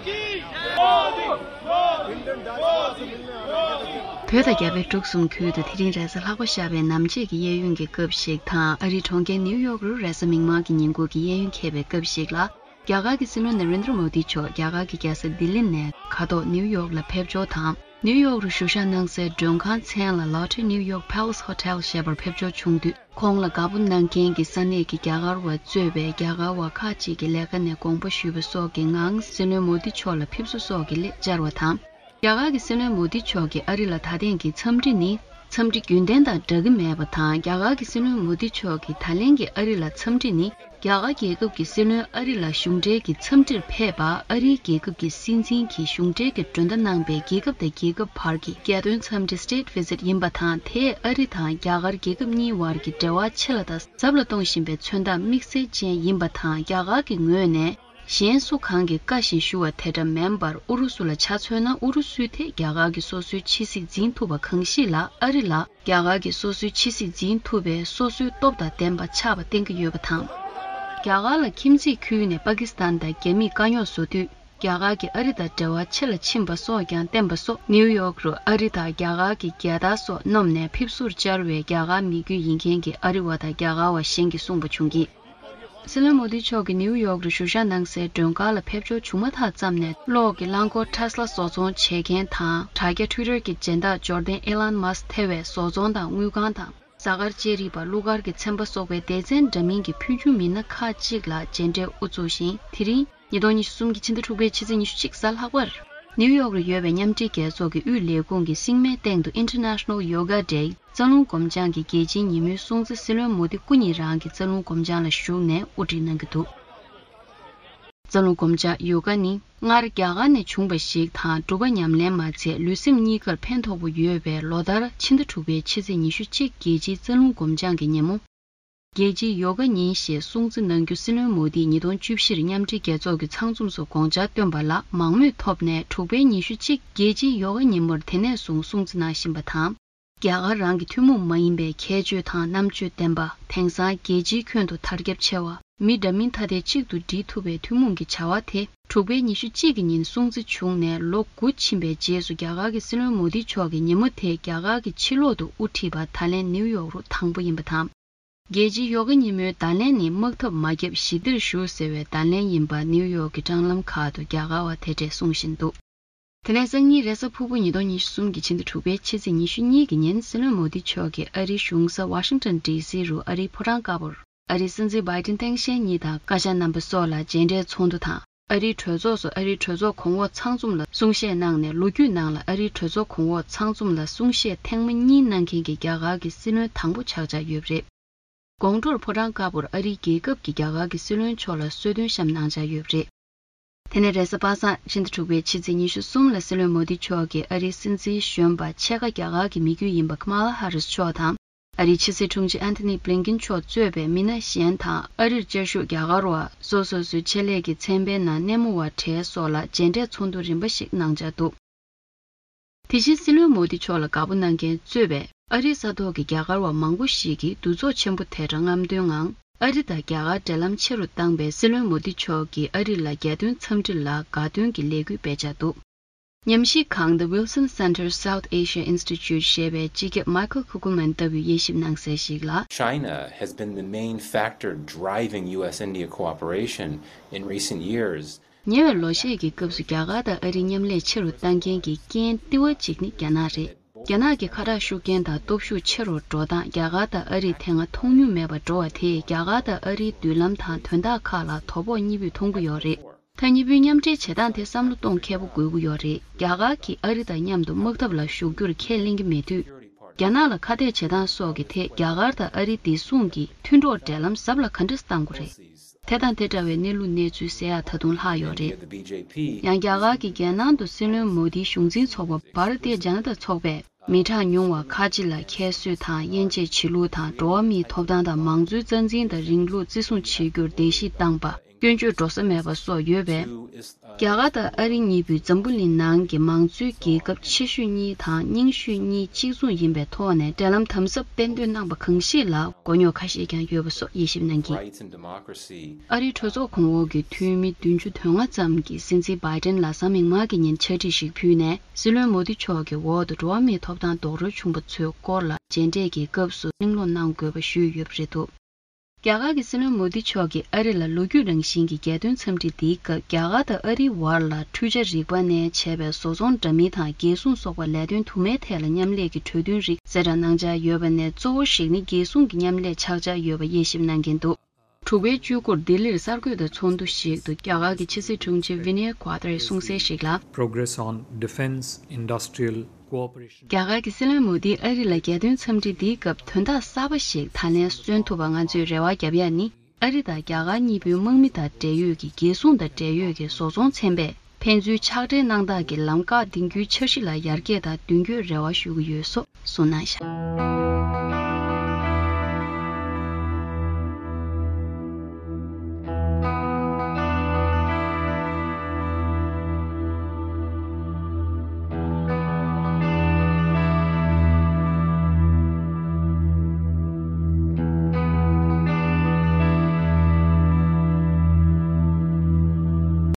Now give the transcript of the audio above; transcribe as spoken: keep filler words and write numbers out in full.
བོད་དང་རྒྱ་བལ་འབྲུག་གསུམ་ཁུལ་དུ་དེ་རིང་རེས་གཟའ་ལྷག་པ་ཤར་བའི་ནམ་ཕྱེད་ཀྱི་གཡས་གཡོན་གྱི་སྐབས་ཤིག་དང་། ཨ་རིའི་གྲོང་ཁྱེར་ནིའུ་ཡོག་རུ་རེས་གཟའ་མིག་དམར་གྱི་ཉིན་གུང་གི་གཡས་གཡོན་འཁེལ་བའི་སྐབས་ཤིག་ལ། རྒྱ་གར་གྱི་སྲིད་བློན་ན་རེན་དྲ་མོ་དི་མཆོག་རྒྱ་གར་གྱི་རྒྱལ་ས་ལྡི་ལི་ནས་མཁའ་ཐོག་ནིའུ་ཡོག་ལ་ཕེབས་འབྱོར་དང་། ནིའུ་ཡོག་རུ་བཞུགས་ཞག་གནང་སའི་མགྲོན་ཁང་མཚན་ལ་Lotte New York Palace Hotel ཞེས་པར་ཕེབས་འབྱོར་བྱུང་དུས། ཁོང་ལ་དགའ་པོ་གནང་མཁན་གྱི་ས་གནས་ཀྱི་རྒྱ་གར་བ་གཙོས་པའི་རྒྱ་གར་བ་ཁག་ཅིག་གིས་ལས་ཀ་ནས་དགོངས་པ་ཞུས་པ་སོགས་ཀྱི་ངང་སྲིད་བློན་མོ་དི་མཆོག་ལ་ཕེབས་བསུ་སོགས་ཀྱི་སླད་བཅར་བ་དང་། རྒྱ་གར་གྱི་སྲིད་བློན་མོ་དི་མཆོག་གིས་ཨ་རི་ལ་ད་ཐེངས་ཀྱི་འཚམས་འདྲི་ནི་འཚམས་འདྲི་རྒྱུན་ལྡན་དང་འདྲ་གི་མེད་པ་དང་། རྒྱ་གར་གྱི་སྲིད་བློན་མོ་དི་མཆོག་གིས་ད་ལན་གྱི་ཨ་རི་ལ་འཚམས་འདྲི་ནི། རྒྱ་གར་རྒྱལ་ཁབ་ཀྱི་སྲིད་བློན་ཨ་རི་ལ་གཞུང་འབྲེལ་གྱི་འཚམས་འདྲིར་ཕེབས་པ། ཨ་རིའི་རྒྱལ་ཁབ་ཀྱི་སྲིད་འཛིན་གྱིས་གཞུང་འབྲེལ་གྱི་མགྲོན་བརྡ་གནང་པའི་རྒྱལ་ཁབ་དང་རྒྱལ་ཁབ་བར་གྱི་རྒྱལ་དོན་འཚམས་འདྲི་State Visit ཡིན་པ་དང་། དེས་ཨ་རི་དང་རྒྱ་གར་རྒྱལ་ཁབ་གཉིས་བར་གྱི་འབྲེལ་བ་ཆེ་ལ་དང་ཟབ་ལ་གཏོང་བཞིན་པའི་མཚོན་རྟགས་དམིགས་བསལ་ཅན་ཡིན་པ་དང་། རྒྱ་གར་གྱི་ངོས་ནས་གཞན་སུ་གང་གིས་བཀའ་བཞིན་ཞུ་བ་དེ་འདྲ་མིན་པར། ཨུ་རུ་སུ་ལ་ཆ་མཚོན་ན། ཨུ་རུ་སུས་དེ་རྒྱ་གར་གྱི་སོ་སོའི་ཕྱི་སྲིད་འཛིན་ཐུབ་པ་གང་ཞིག་ལ། ཨ་རི་ལ་རྒྱ་གར་གྱི་སོ་སོའི་ཕྱི་སྲིད་འཛིན་ཐུབ་པའི་སོ་སོའི་སྟོབས་དང་ལྡན་པ་ཆགས་པ་བསྟན་གྱི་ཡོད་པ་དང་། རྒྱ་གར་ལ་ཁྱིམ་མཚེས་ཁུལ་ནས་པ་ཀི་སི་ཐན་དང་རྒྱ་མིས་དཀའ་རྙོག་བཟོ་དུས། རྒྱ་གར་གྱིས་ཨ་རི་དང་འབྲེལ་བ་ཆེ་ལ་ཕྱིན་པ་སོགས་ཀྱང་བསྟན་པ་སོགས། ནིའུ་ཡོག་རུ་ཨ་རི་དང་རྒྱ་གར་གྱི་རྒྱལ་དར་སོགས་བསྣམས་ནས་ཕེབས་བསུར་བཅར་བའི་རྒྱ་གར་མི་རྒྱུད་ཡིན་མཁན་གྱི་ཨ་རི་བ་དང་རྒྱ་གར་བ་གཞན་གྱིས་གསུངས་པ་བྱུང་གི། སྲིད་བློན་མོ་དི་མཆོག་གིས་ནིའུ་ཡོག་རུ་བཞུགས་ཞག་གནང་སའི་མགྲོན་ཁང་ལ་ཕེབས་འབྱོར་བྱུང་མ་ཐག་ཙམ་ནས། གློག་གི་རླངས་འཁོར་Tesla བཟོ་ཚོང་བྱེད་མཁན་དང་། དྲ་རྒྱ་Twitter གྱི་སྦྱིན་བདག་འབྱོར་ལྡན་Elon Musk ཐེ་བའི་བཟོ་ཚོང་དང་དངུལ་ཁང་དང་། གཟའ་སྐར་དཔྱད་རིག་པ། གླུ་གར་གྱི་ཚན་པ་སོགས་པའི་སྡེ་ཚན་འདྲ་མིན་གྱི་ཕུལ་བྱུང་མི་སྣ་ཁག་ཅིག་ལ་མཇལ་འཕྲད་དབུ་བཙུགས་ཤིང་། དེ་རིང་ཉིས་སྟོང་ཉི་ཤུ་གསུམ་གྱི་ཕྱི་ཟླ་དྲུག་པའི་ཕྱི་ཚེས་ཉི་ཤུ་གཅིག་གཟའ་ལྷག་པར། ནིའུ་ཡོག་རུ་ཡོད་པའི་མཉམ་འབྲེལ་རྒྱལ་ཚོགས་ཀྱི་དབུས་ལས་ཁུངས་ཀྱི་སྲིང་མོའི་སྟེང་དུ་International Yoga Day རྩ་རླུང་སྒོམ་སྦྱང་གི་རྒྱལ་སྤྱིའི་ཉིན་མོའི་སྲུང་བརྩི། སྲིད་བློན་མོ་དི་སྐུ་ཉིད་རང་གིས་རྩ་རླུང་སྒོམ་སྦྱང་ལ་ཞུགས་ནས་དབུ་ཁྲིད་གནང་གི་འདུག་རྩ་རླུང་སྒོམ་སྦྱང་ཡོ་ག་ནི་སྔར་རྒྱ་གར་ནས་བྱུང་བ་ཞིག་དང་། སྒྲུབ་པ་ཉམས་ལེན་མ་ཚད་ལུས་སེམས་གཉིས་ཀར་ཕན་ཐོགས་པོ་ཡོད་པའི་ལོ་ལྟར་ཕྱི་ཟླ་དྲུག་པའི་ཕྱི་ཚེས་ཉི་ཤུ་གཅིག་རྒྱལ་སྤྱིའི་རྩ་རླུང་སྒོམ་སྦྱང་གི་ཉིན་མོ། རྒྱལ་སྤྱིའི་ཡོ་ག་ཉིན་ཞེས་སྲུང་བརྩི་གནང་རྒྱུ་སྲིད་བློན་མོ་དིས་ཉིས་སྟོང་བཅུ་བཞིར་མཉམ་འབྲེལ་རྒྱལ་ཚོགས་ཀྱི་ཚང་འཛོམས་སུ་དགོངས་འཆར་བཏོན་པ་ལ་མང་མོས་ཐོབ་ནས། དྲུག་པའི་ཉི་ཤུ་གཅིག་རྒྱལ་སྤྱིའི་ཡོ་ག་ཉིན་མོར་དེ་ནས་བཟུང་སྲུང་བརྩི་གནང་བཞིན་པ་དང་། རྒྱ་གར་རང་གི་ཐུན་མོང་མ་ཡིན་པའི་ཁྱད་ཆོས་དང་རྣམ་དཔྱོད་ལྡན་པ། དེང་སང་རྒྱལ་སྤྱིའི་ཁྱོན་དུ་དར་ཁྱབ་ཆེ་བ། མི་འདྲ་མིན་ཐ་དད་གཅིག་ཏུ་སྒྲིལ་ཐུབ་པའི་ཐུན་མོང་གི་བྱ་བ་དེ། དྲུག་པའི་ཉི་ཤུ་གཅིག་གི་ཉིན་སྲུང་བརྩི་བྱུང་ནས་ལོ་དགུ་ཕྱིན་པའི་རྗེས་སུ། རྒྱ་གར་གྱི་སྲིད་བློན་མོ་དི་མཆོག་གིས་ཉིན་མོ་དེ་རྒྱ་གར་གྱི་ཕྱི་ལོག་ཏུ་དབུ་ཁྲིད་པ་ད་ལན་ནིའུ་ཡོག་རུ་དང་པོ་ཡིན་པ་དང་། རྒྱལ་སྤྱིའི་ཡོ་ག་ཉིན་མོའི་བརྡ་ལན་ནི། དམག་འཐབ་མ་བརྒྱབ་ཞི་བདེར་བཞུགས་ཟེར་བའི་བརྡ་ལན་ཡིན་པ་ནིའུ་ཡོག་གི་སྲང་ལམ་ཁག་ཏུ་རྒྱ་གར་བ་དེ་འདྲས་གསུང་བཞིན་འདུག་དེ་ནས་སང་ཉིན་རེས་གཟའ་ཕུར་བུ་ཉིས་སྟོང་ཉི་ཤུ་གསུམ་གྱི་ཕྱི་ཟླ་དྲུག་པའི་ཕྱི་ཚེས་ཉི་ཤུ་གཉིས་ཀྱི་ཉིན་སྲིད་བློན་མོ་དི་མཆོག་གིས་ཨ་རིའི་གཞུང་ས་ཝ་ཤིང་ཏོན་ཌི་སི་རུ་ཨ་རིའི་ཕོ་བྲང་དཀར་པོར་ཨ་རིའི་སྲིད་འཛིན་བྷའི་ཏིན་སྟངས་དཔྱལ་གཉིས་དང་བཀའ་ཤག་རྣམ་པ་སོགས་ལ་མཇལ་འཕྲད་ཚོགས་འདུ་དང་། ཨ་རིའི་གྲོས་ཚོགས་སུ་ཨ་རིའི་གྲོས་ཚོགས་གོང་འོག་ཚང་འཛོམས་ལ་གསུང་བཤད་གནང་ནས། ལོ་རྒྱུས་ནང་ལ་ཨ་རིའི་གྲོས་ཚོགས་གོང་འོག་ཚང་འཛོམས་ལ་གསུང་བཤད་ཐེངས་མ་གཉིས་གནང་མཁན་གྱི་རྒྱ་གར་གྱི་སྲིད་བློན་དང་པོ་ཆགས་འཆར་ཡོད་པ་རེད། དགོང་དྲོར་ཕོ་བྲང་དཀར་པོར་ཨ་རིའི་རྒྱལ་ཁབ་ཀྱི་རྒྱ་གར་གྱི་སྲིད་བློན་མཆོག་ལ་གསོལ་སྟོན་བཤམས་གནང་འཆར་ཡོད་པ་རེད། དེ་ནས་རེས་གཟའ་པ་སངས་ཕྱི་ཟླ་དྲུག་པའི་ཕྱི་ཚེས་ཉི་ཤུ་གསུམ་ལ་སྲིད་བློན་མོ་དི་མཆོག་གིས་ཨ་རིའི་སྲིད་འཛིན་གཞོན་པ་ཕྱེད་ཀ་རྒྱ་གར་གྱི་མི་རྒྱུད་ཡིན་པ་ཁ་མ་ལ་ཧ་རིས་མཆོག་དང་། ཨ་རིའི་ཕྱི་སྲིད་དྲུང་ཆེ་ཨན་ཐོ་ནི་བྷི་ལིན་ཀིན་མཆོག་གཙོས་པའི་མི་སྣ་གཞན་དང་། ཨ་རིར་བཅའ་བཞུགས་རྒྱ་གར་བ། སོ་སོ་སོའི་ཆེད་ལས་ཀྱི་ཚན་པའི་ནང་སྣེ་མོ་བ་གྲས་སོགས་ལ་མཇལ་འཕྲད་ཚོགས་འདུ་རིམ་པ་ཞིག་གནང་འཆར་འདུག་དེ་བཞིན་སྲིད་བློན་མོ་དི་མཆོག་ལ་དགའ་པོ་གནང་མཁན་གཙོས་པའི་ཨ་རིའི་ས་ཐོག་གི་རྒྱ་གར་བ་མང་པོ་ཞིག་གིས་འདུ་ཚོགས་ཆེན་པོ་དེ་འདྲ་རྔམ་སྟོན་ངང་། ཨ་རི་དང་རྒྱ་གར་འབྲེལ་ལམ་ཆེ་རུ་བཏང་པའི་སྲིད་བློན་མོ་དི་མཆོག་གིས་ཨ་རི་ལ་རྒྱལ་དོན་འཚམས་འདྲི་ལ་དགའ་སྟོན་གྱི་ལས་འགུལ་སྤེལ་འཆར་འདུག་ཉམས་ཞིབ་ཁང་The Wilson Center South Asia Institute ཞེས་པའི་སྤྱི་ཁྱབ་Michael Kugelman ལྟ་བུས་དབྱེ་ཞིབ་གནང་གསལ་ཞིག་ལ། China has been the main factor driving U S India cooperation in recent years. ཉེ་བའི་ལོ་ཤས་ཀྱི་སྐབས་སུ་རྒྱ་གར་དང་ཨ་རིའི་མཉམ་ལས་ཆེ་རུ་བཏང་མཁན་གྱི་རྐྱེན་ལྟེ་བ་གཅིག་ནི་རྒྱ་ནག་རེད། རྒྱ་ནག་གི་ཁ་གྲག་ཤུགས་རྐྱེན་དང་སྟོབས་ཤུགས་ཆེ་རུ་འགྲོ་སྟངས་རྒྱ་གར་དང་ཨ་རིས་དེ་སྔ་མཐོང་མྱོང་མེད་པར་འགྲོ་བ་དེས་རྒྱ་གར་དང་ཨ་རིའི་མདུན་ལམ་དང་དོན་དག་ཁག་ལ་དོ་ཕོག་གཉིས་པོས་མཐོང་གི་ཡོད་རེད། ད་གཉིས་པོའི་མཉམ་འབྲེལ་བྱེད་སྟངས་དེ་བསམ་བློ་གཏོང་མཁས་པོ་དགོས་ཀྱི་ཡོད་རེད། རྒྱ་གར་གྱིས་ཨ་རི་དང་མཉམ་དུ་དམག་འཐབ་ལ་ཞུགས་རྒྱུར་ཁས་ལེན་གྱི་མེད་དུས། རྒྱ་ནག་ལ་ཁ་གཏད་བྱེད་སྟངས་སོགས་ཀྱི་ཐད་རྒྱ་གར་དང་ཨ་རི་བདེ་སྲུང་གི་མཐུན་གྲོགས་འབྲེལ་ལམ་ཟབ་ལ་ག་འདྲ་གཏང་དགོས་རེད། དེ་དང་དེ་འདྲ་བའི་གནས་ལུགས་གནས་ཚུལ་གསལ་ཡག་ད་དུང་ལྷག་ཡོད་རེད། ཡང་རྒྱ་གར་གྱི་རྒྱལ་ནང་དུ་སྲིད་བློན་མོ་དིའི་གཞུང་འཛིན་ཚོགས་པ་Bharatiya Janata ཚོགས་པས་མི་གྲངས་ཉུང་བ་ཁག་ཅིག་ལ་ཁྱད་གསོད་དང་དབྱེ་འབྱེད་བྱེད་ལུགས་དང་། འགྲོ་བ་མིའི་ཐོབ་ཐང་དང་མང་གཙོའི་རྩ་འཛིན་དང་རིང་ལུགས་བརྩི་སྲུང་བྱེད་རྒྱུར་གདན་ཞུ་བཏང་པ། སྐྱོན་བརྗོད་འགྲོ་ས་མེད་པ་སོགས་ཡོད་པས། རྒྱ་གར་དང་ཨ་རི་གཉིས་པོས་འཛམ་བུ་གླིང་ནང་གི་མང་གཙོའི་རྒྱལ་ཁབ་ཆེ་ཤོས་གཉིས་དང་རྙིང་ཤོས་གཉིས་གཅིག་མཚུངས་ཡིན་པའི་ཐོག་ནས་འབྲེལ་ལམ་དམ་ཟབ་སྤེལ་འདོད་གནང་པ་གང་ཞིག་ལ་མགོ་རྙོག་ཁ་ཤས་ཀྱང་ཡོད་པ་སོགས་དབྱེ་ཞིབ་གནང་གིན། ཨ་རིའི་གྲོས་ཚོགས་གོང་འོག་གི་འཐུས་མི་བདུན་ཅུ་དོན་ལྔ་ཙམ་གྱིས་སྲིད་འཛིན་བྷའི་ཏན་ལ་གཟའ་མིག་དམར་གྱི་ཉིན་ཕྱག་བྲིས་ཤིག་ཕུལ་ནས། སྲིད་བློན་མོ་དི་མཆོག་གི་འོག་ཏུ་འགྲོ་བ་མིའི་ཐོབ་ཐང་རྡོག་རོལ་བྱུང་པ་ཚོའི་སྐོར་ལ་མཇལ་འཕྲད་ཀྱི་སྐབས་སུ་གླེང་སློང་གནང་དགོས་པ་ཞུས་ཡོད་པ་རེད་འདུག་རྒྱ་གར་གྱི་སྲིད་བློན་མོ་དི་མཆོག་གིས་ཨ་རི་ལ་ལོ་རྒྱུས་རང་བཞིན་གྱི་རྒྱལ་དོན་འཚམས་འདྲི་འདིའི་སྐབས། རྒྱ་གར་དང་ཨ་རིའི་བར་ལ་འཕྲུལ་ཆས་རིག་པ་ནས་བྱས་པའི་བཟོ་ཚོང་འདྲ་མིན་དང་རྒྱལ་སྲུང་སོགས་པ་ལས་དོན་དུ་མའི་ཐད་ལ་མཉམ་ལས་ཀྱི་གྲོས་མཐུན་རིགས་གསལ་བསྒྲགས་གནང་འཆར་ཡོད་པ་ནས། གཙོ་བོ་ཞིག་ནི་རྒྱལ་སྲུང་གི་མཉམ་ལས་ཆགས་འཆར་ཡོད་པ་དབྱེ་ཞིབ་གནང་གིན་འདུག་དྲུག་པའི་བཅུ་དགུར་ལྡི་ལིར་གསར་འགོད་པའི་ཚོགས་འདུ་ཞིག་ཏུ་རྒྱ་གར་གྱི་ཕྱི་སྲིད་དྲུང་ཆེ་ཝི་ནེ་ཀོ་ཏྲེས་གསུངས་གསལ་ཞིག་ལ། Progress on Defense Industrial Cooperation. རྒྱ་གར་གྱི་སྲིད་བློན་མོ་དིས་ཨ་རི་ལ་རྒྱལ་དོན་འཚམས་འདྲི་འདིའི་སྐབས་དོན་དག་གསར་པ་ཞིག་ད་ལན་སོན་ཐུབ་པ་ང་ཚོས་རེ་བ་བརྒྱབ་ཡ་ནི། ཨ་རི་དང་རྒྱ་གར་གཉིས་པོའི་དམག་མི་དང་འབྲེལ་ཡོད་ཀྱི་རྒྱལ་སྲུང་དང་འབྲེལ་ཡོད་ཀྱི་བཟོ་ཚོང་ཚན་པས་ཕན་ཚུན་ཕྱག་སྦྲེལ་གནང་སྟངས་ཀྱི་ལམ་ཁ་འདིང་རྒྱུའི་འཆར་གཞི་ལ་ཡར་རྒྱས་དང་མདུན་སྐྱོད་རེ་བ་ཞུ་གི་ཡོད་སོགས་གསུངས་གནང་བཞག